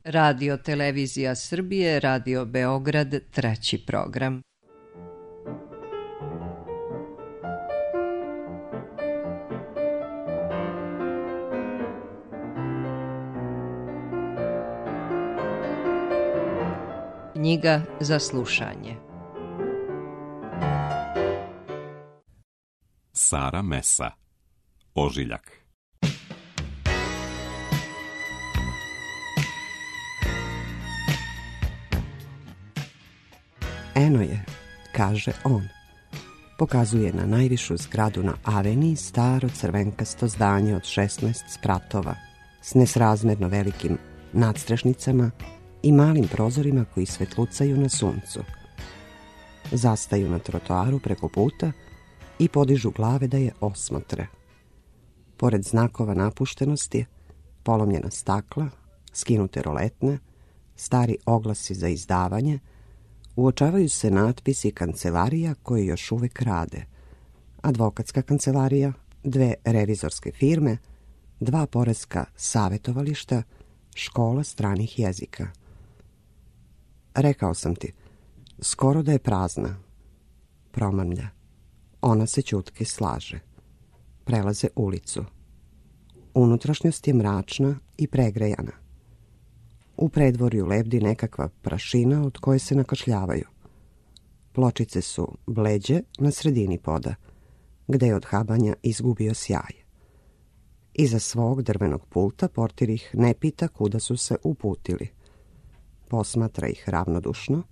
Radio Televizija Srbije, Radio Beograd, treći program. Knjiga za slušanje. Sara Mesa, Ožiljak. Eno je, kaže on. Pokazuje na najvišu zgradu na Aveniji staro crvenkasto zdanje od 16 spratova s nesrazmerno velikim nadstrešnicama i malim prozorima koji svetlucaju na suncu. Zastaju na trotoaru preko puta i podižu glave da je osmotre. Pored znakova napuštenosti, polomljena stakla, skinute roletne, stari oglasi za izdavanje, uočavaju se natpisi kancelarija koje još uvek rade. Advokatska kancelarija, 2 revizorske firme, 2 poreska savetovališta, škola stranih jezika. Rekao sam ti, skoro da je prazna. Promrmlja. Ona se ćutke slaže. Prelaze ulicu. Unutrašnjost je mračna i pregrejana. U predvorju lebdi nekakva prašina od koje se nakašljavaju. Pločice su bleđe na sredini poda, gde je od habanja izgubio sjaj. Iza svog drvenog pulta portir ih ne pita kuda su se uputili. Posmatra ih ravnodušno,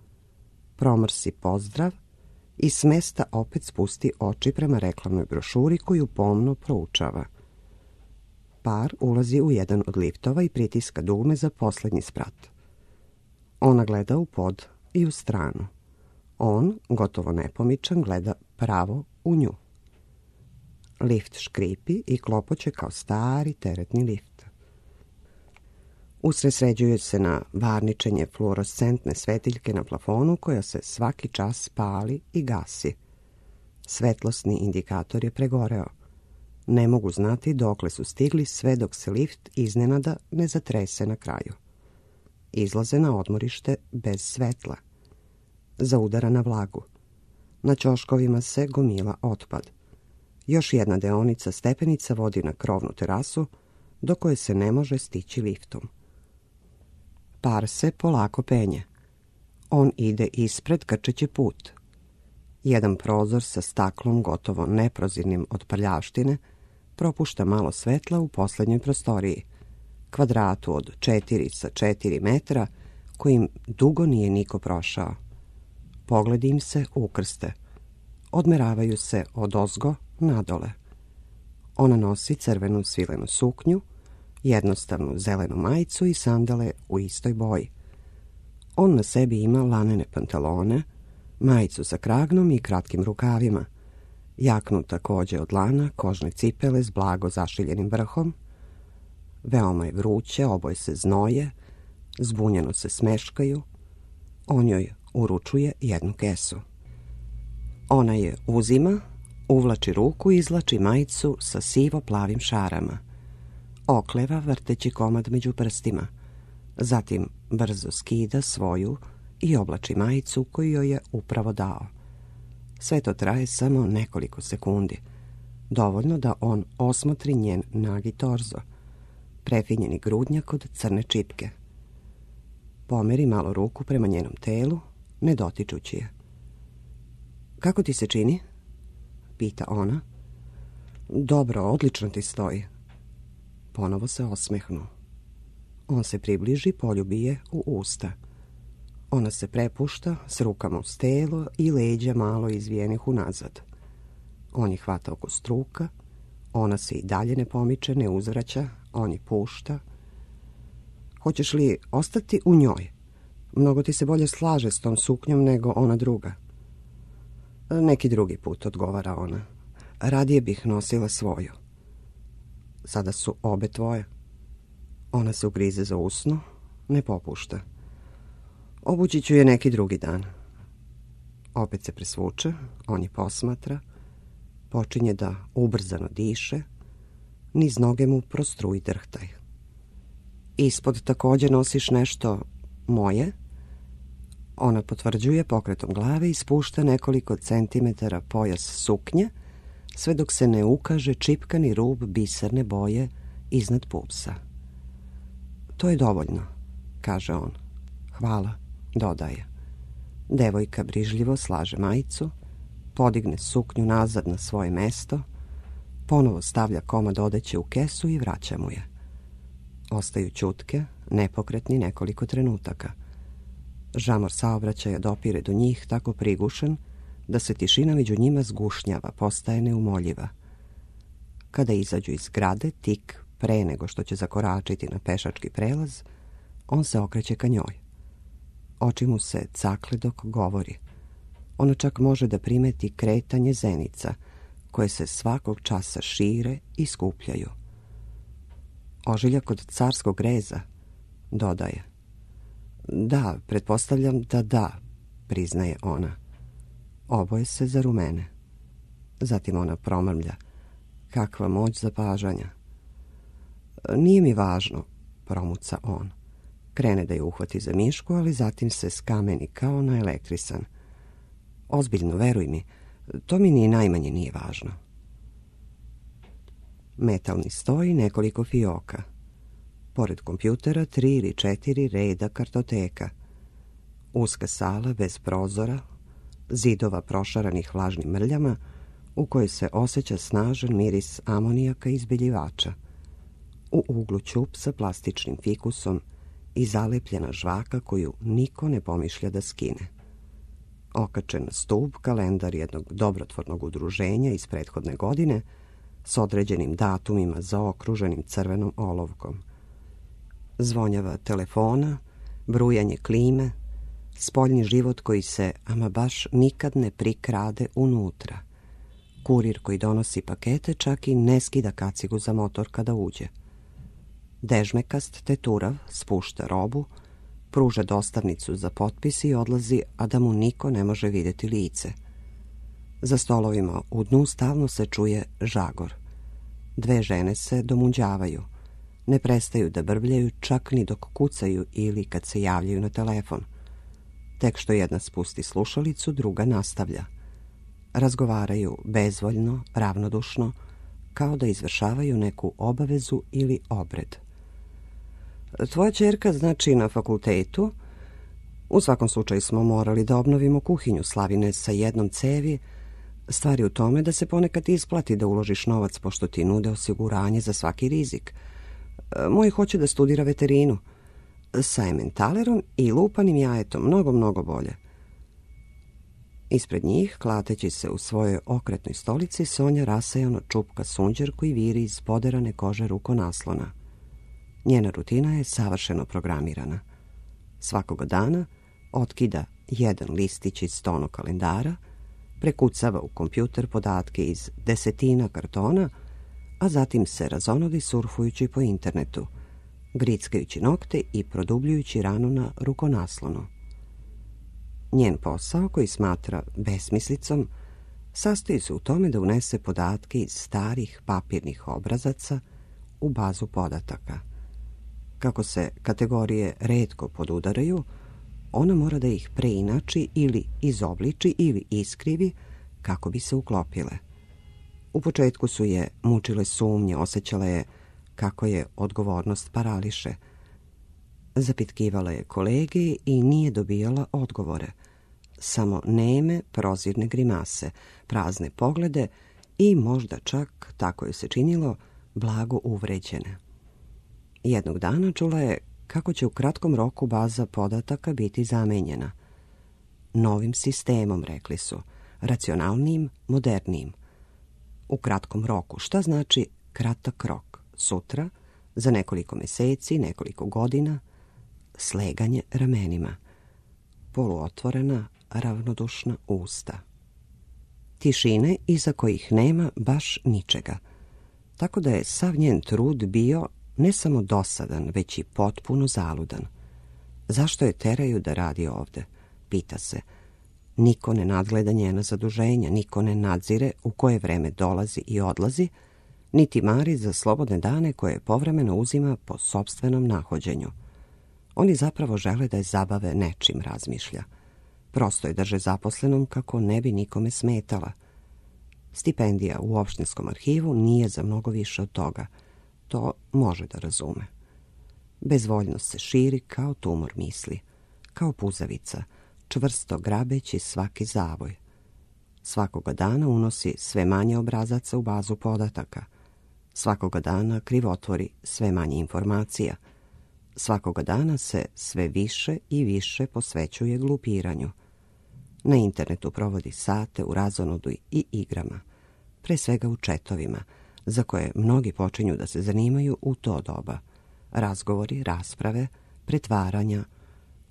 promrsi pozdrav i s mesta opet spusti oči prema reklamnoj brošuri koju pomno proučava. Par ulazi u jedan od liftova i pritiska dugme za poslednji sprat. Ona gleda u pod i u stranu. On, gotovo nepomičan, gleda pravo u nju. Lift škripi i klopoće kao stari teretni lift. Usredsređuju se na varničenje fluorescentne svetiljke na plafonu koja se svaki čas pali i gasi. Svetlosni indikator je pregoreo. Ne mogu znati dokle su stigli sve dok se lift iznenada ne zatrese na kraju. Izlaze na odmorište bez svetla. Zaudara na vlagu. Na ćoškovima se gomila otpad. Još jedna deonica stepenica vodi na krovnu terasu do koje se ne može stići liftom. Par se polako penje. On ide ispred krčeći put. Jedan prozor sa staklom gotovo neprozirnim od prljavštine propušta malo svetla u poslednjoj prostoriji, kvadratu od 4x4 metra kojim dugo nije niko prošao. Pogledi im se ukrste. Odmeravaju se odozgo nadole. Ona nosi crvenu svilenu suknju, jednostavnu zelenu majicu i sandale u istoj boji. On na sebi ima lanene pantalone, majicu sa kragnom i kratkim rukavima, jaknu takođe od lana, kožne cipele s blago zašiljenim vrhom. Veoma je vruće, oboje se znoje, zbunjeno se smeškaju. On joj uručuje jednu kesu. Ona je uzima, uvlači ruku i izvlači majicu sa sivo-plavim šarama. Okleva vrteći komad među prstima. Zatim brzo skida svoju i oblači majicu koju joj je upravo dao. Sve to traje samo nekoliko sekundi. Dovoljno da on osmotri njen nagi torzo, prefinjeni grudnjak od crne čipke. Pomeri malo ruku prema njenom telu, ne dotičući je. Kako ti se čini? Pita ona. Dobro, odlično ti stoji. Ponovo se osmehnu. On se približi, poljubi je u usta. Ona se prepušta s rukama uz telo i leđa malo izvijenih unazad. On je hvata oko struka, ona se i dalje ne pomiče, ne uzvraća, on je pušta. Hoćeš li ostati u njoj? Mnogo ti se bolje slaže s tom suknjom nego ona druga. Neki drugi put, odgovara ona. Radije bih nosila svoju. Sada su obe tvoje. Ona se ugrize za usno, ne popušta. Obući ću je neki drugi dan. Opet se presvuče, on je posmatra, počinje da ubrzano diše, niz noge mu prostruji drhtaj. Ispod također nosiš nešto moje? Ona potvrđuje pokretom glave i spušta nekoliko centimetara pojas suknje, sve dok se ne ukaže čipkani rub biserne boje iznad pupsa. To je dovoljno, kaže on. Hvala, dodaje. Devojka brižljivo slaže majicu, podigne suknju nazad na svoje mesto, ponovo stavlja komad odeće u kesu i vraća mu je. Ostaju ćutke, nepokretni nekoliko trenutaka. Žamor saobraćaja dopire do njih tako prigušen da se tišina među njima zgušnjava, postaje neumoljiva. Kada izađu iz zgrade, tik pre nego što će zakoračiti na pešački prelaz, on se okreće ka njoj. Oči mu se cakle dok govori. Ona čak može da primeti kretanje zenica, koje se svakog časa šire i skupljaju. Ožiljak od carskog reza, dodaje. Da, pretpostavljam da, priznaje ona. Oboje se zarumene. Zatim ona promrmlja. Kakva moć zapažanja. Nije mi važno, promuca on. Krene da je uhvati za mišku, ali zatim se skameni kao naelektrisan. Ozbiljno, veruj mi, to mi ni najmanje nije važno. Metalni stoj, nekoliko fioka. Pored kompjutera 3 ili 4 reda kartoteka. Uska sala bez prozora, zidova prošaranih vlažnim mrljama, u kojoj se osjeća snažan miris amonijaka i izbeljivača. U uglu ćup sa plastičnim fikusom i zalepljena žvaka koju niko ne pomišlja da skine. Okačen na stub kalendar jednog dobrotvornog udruženja iz prethodne godine s određenim datumima zaokruženim crvenom olovkom. Zvonjava telefona, brujanje klime, spoljni život koji se ama baš nikad ne prikrade unutra. Kurir koji donosi pakete čak i ne skida kacigu za motor kada uđe. Dežmekast teturav spušta robu, pruža dostavnicu za potpis i odlazi, a da mu niko ne može vidjeti lice. Za stolovima u dnu stalno se čuje žagor. 2 žene se domunđavaju. Ne prestaju da brbljaju čak ni dok kucaju ili kad se javljaju na telefon. Tek što jedna spusti slušalicu, druga nastavlja. Razgovaraju bezvoljno, ravnodušno, kao da izvršavaju neku obavezu ili obred. Tvoja ćerka znači na fakultetu. U svakom slučaju smo morali da obnovimo kuhinju Slavine sa jednom cevi. Stvari u tome da se ponekad isplati da uložiš novac pošto ti nude osiguranje za svaki rizik. Moj hoće da studira veterinu. Sa ementalerom i lupanim jajetom, mnogo bolje. Ispred njih, klateći se u svojoj okretnoj stolici, Sonja rasajano čupka sunđer koji viri iz poderane kože rukonaslona. Njena rutina je savršeno programirana. Svakoga dana otkida jedan listić iz stonog kalendara, prekucava u kompjuter podatke iz desetina kartona, a zatim se razonodi surfujući po internetu, grickajući nokte i produbljujući ranu na rukonaslonu. Njen posao, koji smatra besmislicom, sastoji se u tome da unese podatke iz starih papirnih obrazaca u bazu podataka. Kako se kategorije retko podudaraju, ona mora da ih preinači ili izobliči ili iskrivi kako bi se uklopile. U početku su je mučile sumnje, osjećala je kako je odgovornost parališe. Zapitkivala je kolege i nije dobijala odgovore. Samo neme, prozirne grimase, prazne poglede i možda čak, tako je se činilo, blago uvređene. Jednog dana čula je kako će u kratkom roku baza podataka biti zamenjena. Novim sistemom, rekli su, racionalnijim, modernijim. U kratkom roku, šta znači kratak rok? Sutra, za nekoliko meseci, nekoliko godina, sleganje ramenima, poluotvorena, ravnodušna usta. Tišine iza kojih nema baš ničega, tako da je sav njen trud bio ne samo dosadan, već i potpuno zaludan. Zašto je teraju da radi ovde? Pita se. Niko ne nadgleda njena zaduženja, niko ne nadzire u koje vreme dolazi i odlazi, niti mari za slobodne dane koje povremeno uzima po sopstvenom nahođenju. Oni zapravo žele da je zabave nečim, razmišlja. Prosto je drže zaposlenom kako ne bi nikome smetala. Stipendija u opštinskom arhivu nije za mnogo više od toga. To može da razume. Bezvoljnost se širi kao tumor misli, kao puzavica, čvrsto grabeći svaki zavoj. Svakoga dana unosi sve manje obrazaca u bazu podataka. Svakoga dana krivotvori sve manje informacija. Svakoga dana se sve više i više posvećuje glupiranju. Na internetu provodi sate u razonodu i igrama, pre svega u četovima, za koje mnogi počinju da se zanimaju u to doba. Razgovori, rasprave, pretvaranja,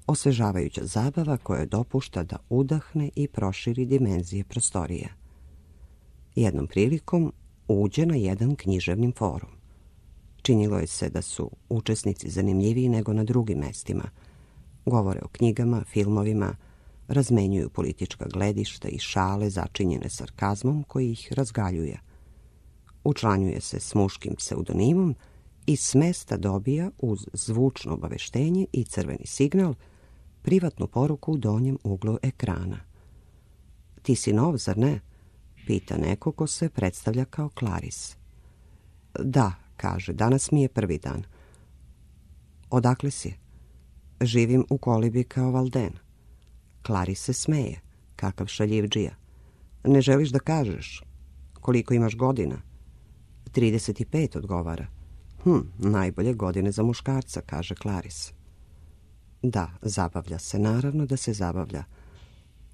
osvežavajuća zabava koja dopušta da udahne i proširi dimenzije prostorije. Jednom prilikom uđe na jedan književni forum. Činilo je se da su učesnici zanimljiviji nego na drugim mestima. Govore o knjigama, filmovima, razmenjuju politička gledišta i šale začinjene sarkazmom koji ih razgaljuje. Učlanjuje se s muškim pseudonimom i s mesta dobija uz zvučno obaveštenje i crveni signal privatnu poruku u donjem uglu ekrana. Ti si nov, zar ne? Pita neko ko se predstavlja kao Clarice. Da, kaže, danas mi je prvi dan. Odakle si? Živim u kolibi kao Valden. Clarice se smeje, kakav šaljivdžija. Ne želiš da kažeš? Koliko imaš godina? 35, odgovara. Najbolje godine za muškarca, kaže Clarice. Da, zabavlja se, naravno da se zabavlja.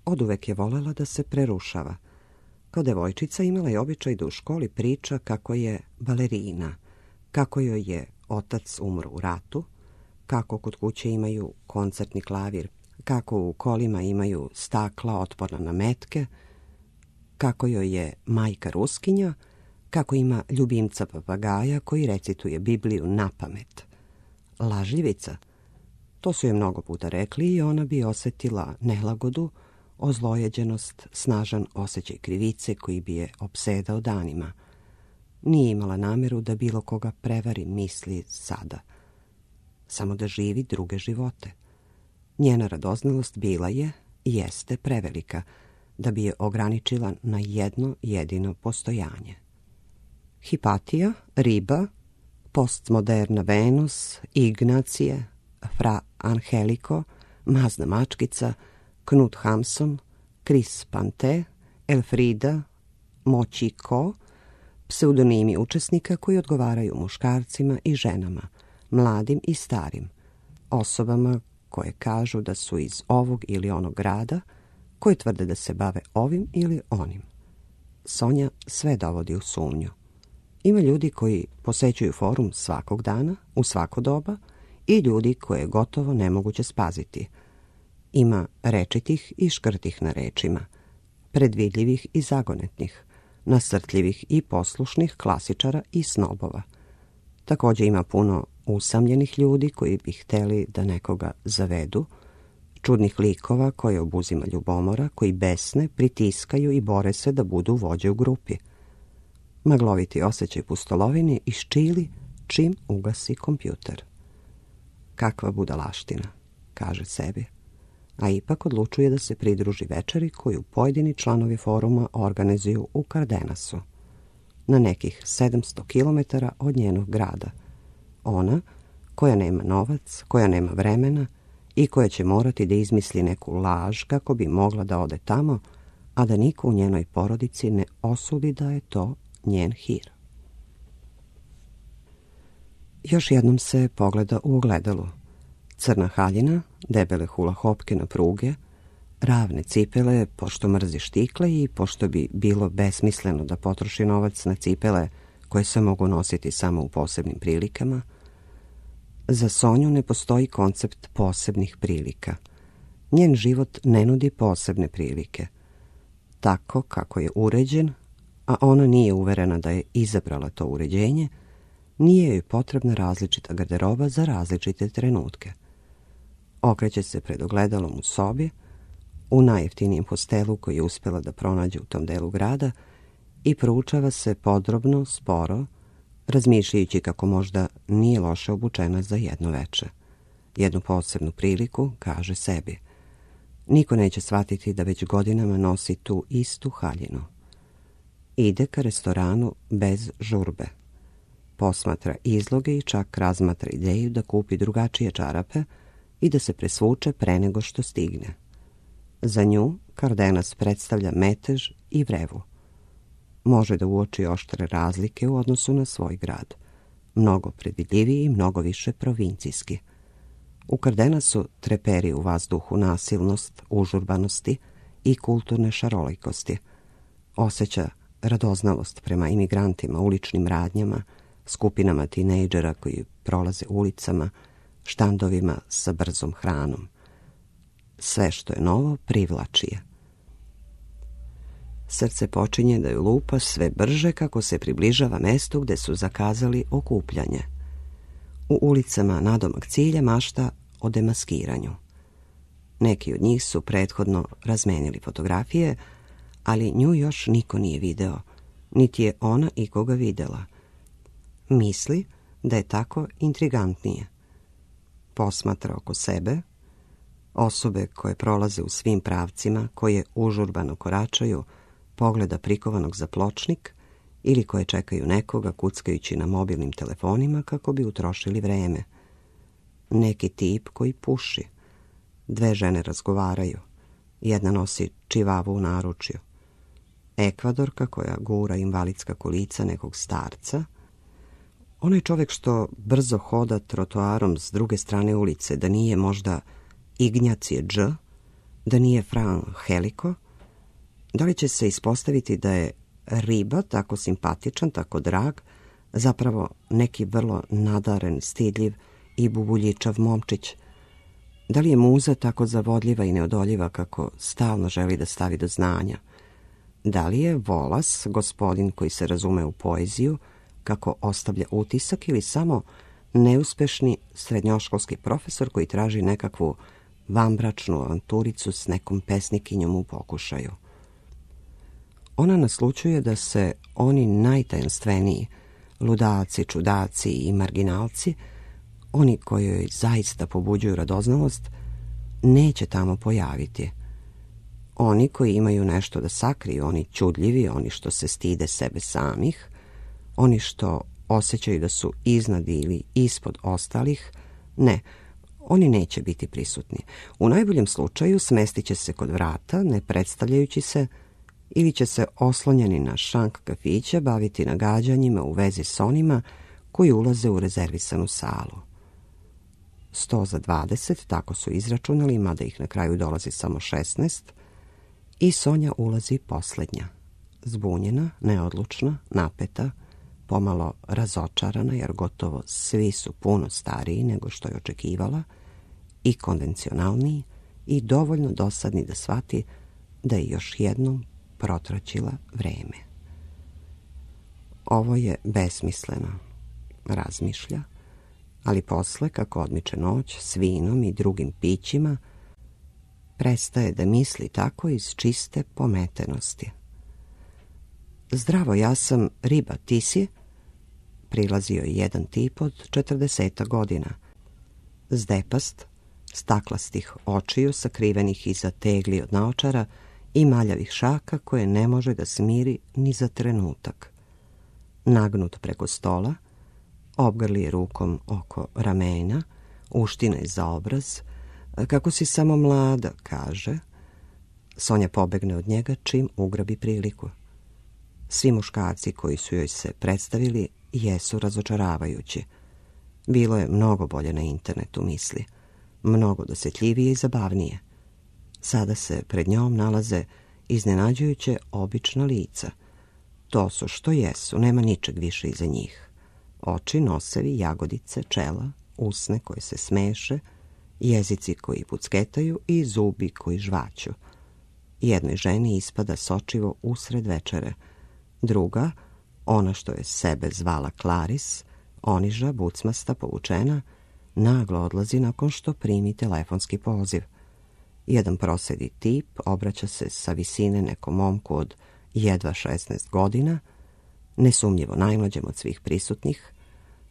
Oduvek je volela da se prerušava. Kao devojčica imala je običaj da u školi priča kako je balerina, kako joj je otac umro u ratu, kako kod kuće imaju koncertni klavir, kako u kolima imaju stakla otporna na metke, kako joj je majka Ruskinja, kako ima ljubimca papagaja koji recituje Bibliju napamet. Lažljivica, to su je mnogo puta rekli i ona bi osjetila nelagodu, ozlojeđenost, snažan osjećaj krivice koji bi je opsedao danima. Nije imala nameru da bilo koga prevari misli sada. Samo da živi druge živote. Njena radoznalost bila je i jeste prevelika da bi je ograničila na jedno jedino postojanje. Hipatija, riba, postmoderna Venus, Ignacije, Fra Angelico, mazna mačkica, Knut Hamsun, Chris Pante, Elfrida, Moćiko, pseudonimi učesnika koji odgovaraju muškarcima i ženama, mladim i starim, osobama koje kažu da su iz ovog ili onog grada, koji tvrde da se bave ovim ili onim. Sonja sve dovodi u sumnju. Ima ljudi koji posećuju forum svakog dana, u svako doba, i ljudi koje je gotovo nemoguće spaziti. Ima rečitih i škrtih na rečima, predvidljivih i zagonetnih, nasrtljivih i poslušnih klasičara i snobova. Također ima puno usamljenih ljudi koji bi hteli da nekoga zavedu, čudnih likova koje obuzima ljubomora, koji besne, pritiskaju i bore se da budu vođe u grupi. Magloviti osjećaj pustolovine iščili čim ugasi kompjuter. Kakva budalaština, kaže sebi, a ipak odlučuje da se pridruži večeri koju pojedini članovi foruma organizuju u Cardenasu, na nekih 700 km od njenog grada. Ona, koja nema novac, koja nema vremena i koja će morati da izmisli neku laž kako bi mogla da ode tamo, a da niko u njenoj porodici ne osudi da je to njen hir. Još jednom se pogleda u ogledalu. Crna haljina, debele hula hopke na pruge, ravne cipele, pošto mrzi štikle i pošto bi bilo besmisleno da potroši novac na cipele koje se mogu nositi samo u posebnim prilikama. Za Sonju ne postoji koncept posebnih prilika. Njen život ne nudi posebne prilike. Tako kako je uređen, a ona nije uverena da je izabrala to uređenje, nije joj potrebna različita garderoba za različite trenutke. Okreće se pred ogledalom u sobi, u najjeftinijem hostelu koji je uspjela da pronađe u tom delu grada, i proučava se podrobno, sporo, razmišljajući kako možda nije loše obučena za jedno veče. Jednu posebnu priliku, kaže sebi. Niko neće shvatiti da već godinama nosi tu istu haljinu. Ide ka restoranu bez žurbe. Posmatra izloge i čak razmatra ideju da kupi drugačije čarape i da se presvuče pre nego što stigne. Za nju Cardenas predstavlja metež i vrevu. Može da uoči oštre razlike u odnosu na svoj grad. Mnogo predvidljiviji i mnogo više provincijski. U Cardenasu treperi u vazduhu nasilnost, užurbanosti i kulturne šarolikosti. Osjeća radoznalost prema imigrantima, uličnim radnjama, skupinama tinejdžera koji prolaze ulicama, štandovima sa brzom hranom. Sve što je novo privlači je. Srce počinje da ju lupa sve brže kako se približava mestu gde su zakazali okupljanje. U ulicama nadomak cilja mašta o demaskiranju. Neki od njih su prethodno razmenili fotografije, ali nju još niko nije video, niti je ona ikoga videla. Misli da je tako intrigantnije. Posmatra oko sebe, osobe koje prolaze u svim pravcima, koje užurbano koračaju, pogleda prikovanog za pločnik ili koje čekaju nekoga kuckajući na mobilnim telefonima kako bi utrošili vreme. Neki tip koji puši. Dve žene razgovaraju. Jedna nosi čivavu u naručju. Ekvadorka koja gura invalidska kolica nekog starca. Onaj čovjek što brzo hoda trotoarom s druge strane ulice, da nije možda Ignjacije Dž, da nije Fran Heliko. Da li će se ispostaviti da je Riba tako simpatičan, tako drag, zapravo neki vrlo nadaren, stidljiv i bubuljičav momčić? Da li je muza tako zavodljiva i neodoljiva kako stalno želi da stavi do znanja? Da li je Volas, gospodin koji se razume u poeziju, kako ostavlja utisak, ili samo neuspešni srednjoškolski profesor koji traži nekakvu vanbračnu avanturicu s nekom pesnikinjom u pokušaju? Ona naslućuje da se oni najtajanstveniji, ludaci, čudaci i marginalci, oni koji joj zaista pobuđuju radoznalost, neće tamo pojaviti. Oni koji imaju nešto da sakriju, oni čudljivi, oni što se stide sebe samih, oni što osjećaju da su iznad ili ispod ostalih, ne, oni neće biti prisutni. U najboljem slučaju smestit će se kod vrata, ne predstavljajući se, ili će se oslonjeni na šank kafića baviti nagađanjima u vezi s onima koji ulaze u rezervisanu salu. 100 za 20, tako su izračunali, mada ih na kraju dolazi samo 16, i Sonja ulazi posljednja. Zbunjena, neodlučna, napeta, pomalo razočarana, jer gotovo svi su puno stariji nego što je očekivala, i konvencionalniji, i dovoljno dosadni da shvati da je još jednom protraćila vreme. Ovo je besmisleno, razmišlja, ali posle, kako odmiče noć, s vinom i drugim pićima, prestaje da misli tako iz čiste pometenosti. Zdravo, ja sam Riba, ti si? Prilazio je jedan tip od 40 godina. Zdepast, staklastih očiju sakrivenih iza tegli od naočara i maljavih šaka koje ne može da smiri ni za trenutak. Nagnut preko stola, obgrli je rukom oko ramena, uština je za obraz. Kako si samo mlada, kaže. Sonja pobegne od njega čim ugrabi priliku. Svi muškarci koji su joj se predstavili jesu razočaravajući. Bilo je mnogo bolje na internetu, misli. Mnogo dosjetljivije i zabavnije. Sada se pred njom nalaze iznenađujuće obična lica. To su što jesu, nema ničeg više iza njih. Oči, nosevi, jagodice, čela, usne koje se smeše, jezici koji pucketaju i zubi koji žvaću. Jednoj ženi ispada sočivo usred večere. Druga, ona što je sebe zvala Claris, oniža, bucmasta, povučena, naglo odlazi nakon što primi telefonski poziv. Jedan prosedi tip obraća se sa visine nekom momku od jedva 16 godina, nesumnjivo najmlađem od svih prisutnih.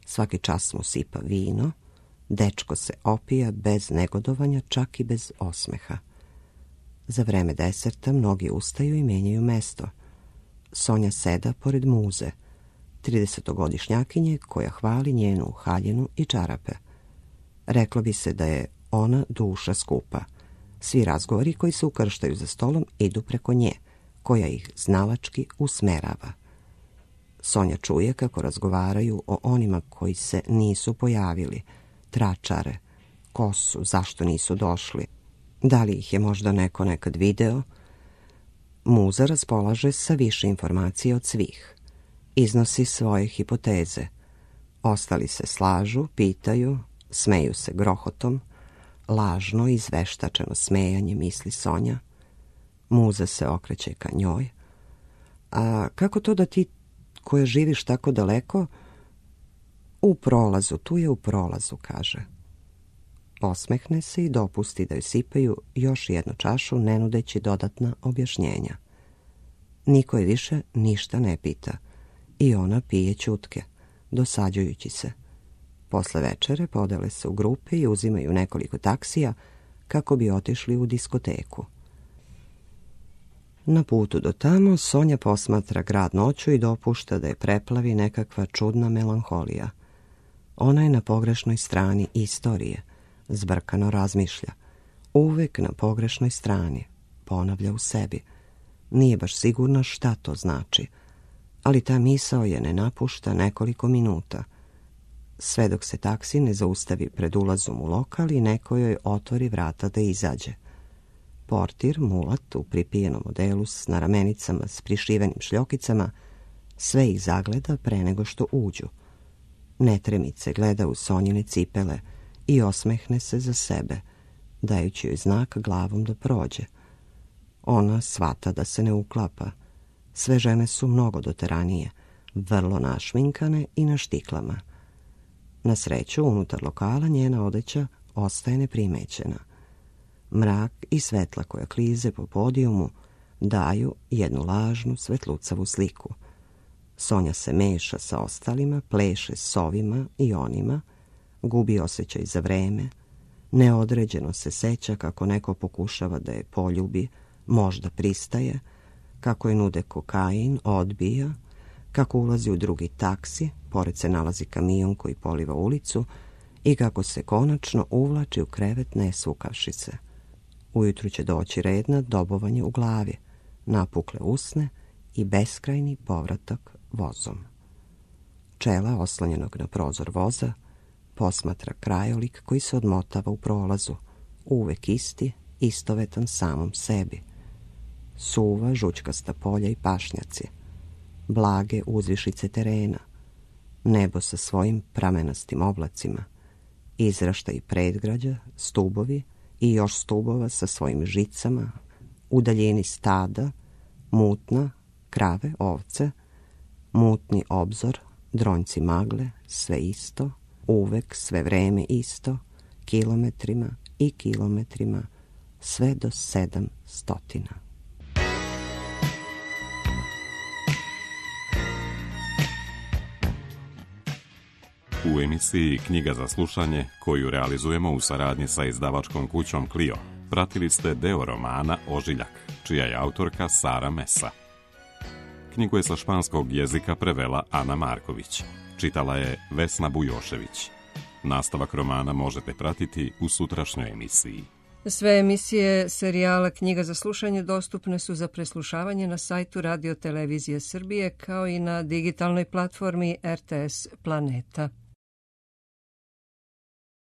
Svaki čas mu sipa vino, dečko se opija bez negodovanja, čak i bez osmeha. Za vreme deserta mnogi ustaju i menjaju mesto. Sonja seda pored Muze, 30-godišnjakinje koja hvali njenu haljinu i čarape. Reklo bi se da je ona duša skupa. Svi razgovori koji se ukrštaju za stolom idu preko nje, koja ih znalački usmerava. Sonja čuje kako razgovaraju o onima koji se nisu pojavili, tračare, ko su, zašto nisu došli, da li ih je možda neko nekad video. Muza raspolaže sa više informacija od svih. Iznosi svoje hipoteze. Ostali se slažu, pitaju, smeju se grohotom, lažno i izveštačeno smejanje, misli Sonja. Muza se okreće ka njoj. A kako to da ti, koja živiš tako daleko, u prolazu, tu je u prolazu, kaže. Osmehne se i dopusti da joj sipaju još jednu čašu, ne nudeći dodatna objašnjenja. Niko je više ništa ne pita i ona pije ćutke, dosađujući se. Posle večere podele se u grupe i uzimaju nekoliko taksija kako bi otišli u diskoteku. Na putu do tamo Sonja posmatra grad noću i dopušta da je preplavi nekakva čudna melanholija. Ona je na pogrešnoj strani istorije, zbrkano razmišlja. Uvek na pogrešnoj strani, ponavlja u sebi. Nije baš sigurna šta to znači, ali ta misao je ne napušta nekoliko minuta, sve dok se taksi ne zaustavi pred ulazom u lokal i neko joj otvori vrata da izađe. Portir, mulat u pripijenom odelu s naramenicama s prišivenim šljokicama, sve ih zagleda pre nego što uđu. Netremice gleda u Sonjine cipele i osmehne se za sebe, dajući joj znak glavom da prođe. Ona shvata da se ne uklapa. Sve žene su mnogo doteranije, vrlo našminkane i na štiklama. Na sreću, unutar lokala njena odeća ostaje neprimećena. Mrak i svetla koja klize po podijumu daju jednu lažnu svetlucavu sliku. Sonja se meša sa ostalima, pleše s ovima i onima, gubi osjećaj za vreme, neodređeno se seća kako neko pokušava da je poljubi, možda pristaje, kako je nude kokain, odbija, kako ulazi u drugi taksi, pored se nalazi kamion koji poliva ulicu i kako se konačno uvlači u krevet ne svukavši se. Ujutru će doći red na dobovanje u glavi, napukle usne i beskrajni povratak vozom. Čela, oslonjenog na prozor voza, posmatra krajolik koji se odmotava u prolazu, uvek isti, istovetan samom sebi. Suva, žućkasta polja i pašnjaci, blage uzvišice terena, nebo sa svojim pramenastim oblacima, izraštaj predgrađa, stubovi i još stubova sa svojim žicama, u daljini stada, mutna, krave, ovce, mutni obzor, dronjci magle, sve isto, uvek, sve vreme isto, kilometrima i kilometrima, sve do 700. U emisiji Knjiga za slušanje, koju realizujemo u saradnji sa izdavačkom kućom Clio, pratili ste deo romana Ožiljak, čija je autorka Sara Mesa. Knjigu je sa španskog jezika prevela Ana Marković. Čitala je Vesna Bujošević. Nastavak romana možete pratiti u sutrašnjoj emisiji. Sve emisije serijala Knjiga za slušanje dostupne su za preslušavanje na sajtu Radio Televizije Srbije kao i na digitalnoj platformi RTS Planeta.